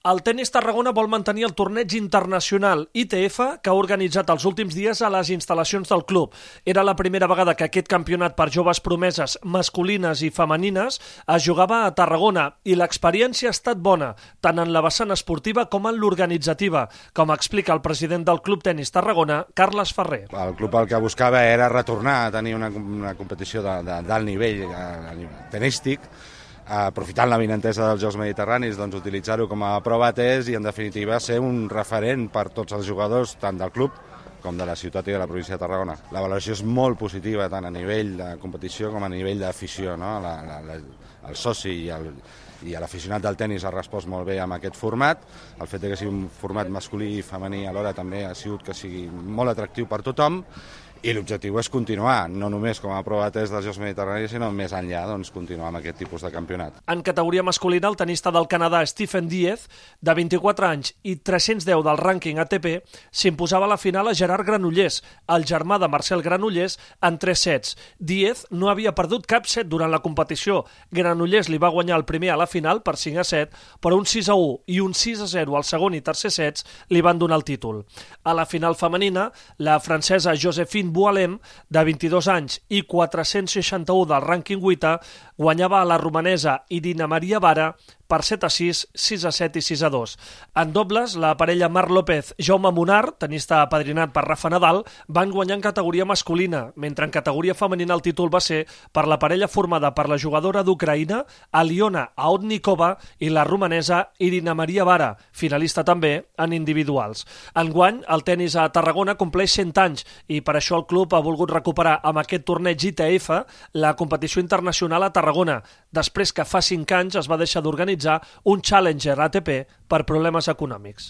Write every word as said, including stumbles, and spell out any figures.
El Tenis Tarragona vol mantenir el torneig internacional I T F que ha organitzat els últims dies a les instal·lacions del club. Era la primera vegada que aquest campionat per joves promeses masculines i femenines es jugava a Tarragona i l'experiència ha estat bona, tant en la vessant esportiva com en l'organitzativa, com explica el president del Club Tenis Tarragona, Carles Ferrer. El club el que buscava era retornar a tenir una, una competició de, de, d'alt nivell eh, tenístic, aprofitant la vinentesa dels Jocs Mediterranis, doncs utilitzar-ho com a prova test i en definitiva ser un referent per tots els jugadors, tant del club com de la ciutat i de la província de Tarragona. La valoració és molt positiva tant a nivell de competició com a nivell d'afició, no? La, la, la, el soci i el, i l'aficionat del tennis ha respost molt bé amb aquest format. El fet que sigui un format masculí i femení alhora també ha sigut que sigui molt atractiu per tothom. I l'objectiu és continuar, no només com a prova test dels Jocs Mediterranis, sinó més enllà, doncs, continuar amb aquest tipus de campionat. En categoria masculina, el tenista del Canadà Stephen Diez, de vint-i-quatre anys i tres-cents deu del rànquing A T P, s'imposava a la final a Gerard Granollers, el germà de Marcel Granollers, en tres sets. Diez no havia perdut cap set durant la competició. Granollers li va guanyar el primer a la final per cinc a set, però un sis a u i un sis a zero al segon i tercer sets li van donar el títol. A la final femenina, la francesa Joséphine Boualem, de vint-i-dos anys i quatre-cents seixanta-u del rànquing vuitè, guanyava a la romanesa Irina Maria Vara per set a sis, sis a set i sis a dos. En dobles, la parella Marc López-Jaume Munar, tenista apadrinat per Rafa Nadal, van guanyar en categoria masculina, mentre en categoria femenina el títol va ser per la parella formada per la jugadora d'Ucraïna, Aliona Aodnikova, i la romanesa Irina Maria Vara, finalista també en individuals. Enguany, el tenis a Tarragona compleix cent anys i per això el club ha volgut recuperar amb aquest torneig I T F la competició internacional a Tarragona, després que fa cinc anys es va deixar d'organitzar un Challenger A T P per problemes econòmics.